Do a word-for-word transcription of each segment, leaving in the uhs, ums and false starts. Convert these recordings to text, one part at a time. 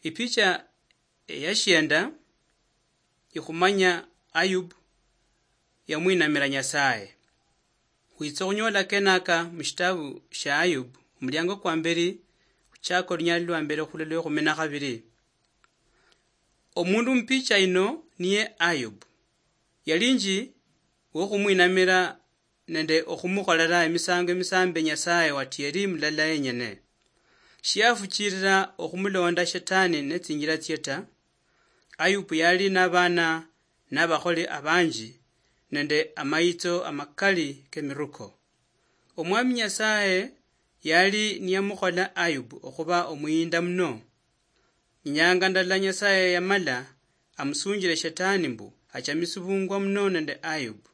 Ipicha eyashienda ikhumanya Ayubu yamwinamira Nyasaye. Khwitsa khunyola kenaka mushitabu shia Ayubu, omuliango kwa mberi, khuchaka olunyali lwa mbere khulwa lwekhumi na khabiri. Omundu mupicha ino niye Ayubu. Yalinji wokhumwinamira nende okhumukholera emisango emisambe Nyasaye watieri mulala yenyene. Shiafuchirira okhumulonda Shetani netsinjira tsie ta. Ayubu yali nabana nabakholi abanji nende amayitso amakali kemiruko. Omwami Nyasaye yali niyamukhola Ayubu okhuba omuyinda muno. Inyanga ndala Nyasaye yamala amusunjire Shetani mbu achamisibungwa muno nende Ayubu.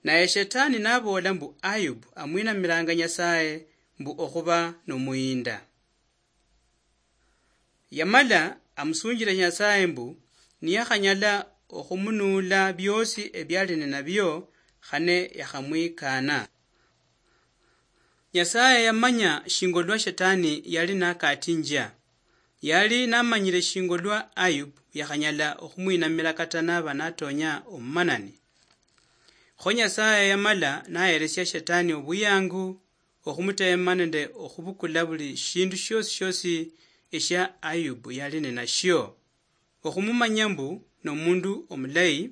Naye Shetani naboola mbu Ayubu amwinamiranga Nyasaye mbu okhuba nomuyinda. Yamala amusunjire Nyasaye mbu niyakhanyala okhumunuula biosi ebiali ninabio, khane yakhamwikana. Nyasaye yamanya shingo lwa Shetani yali nakatinjia. Yali namanyire shingo lwa Ayubu yakhanyala okhumwinamira kata naba natonya omumanani. Kho Nyasaye yamala naheresia Shetani obuyangu okhumutema nende okhubukula buli shindu shiosi shiosi eshia Ayubu yali ninashio. Okhumumanya mbu nomundu omulayi,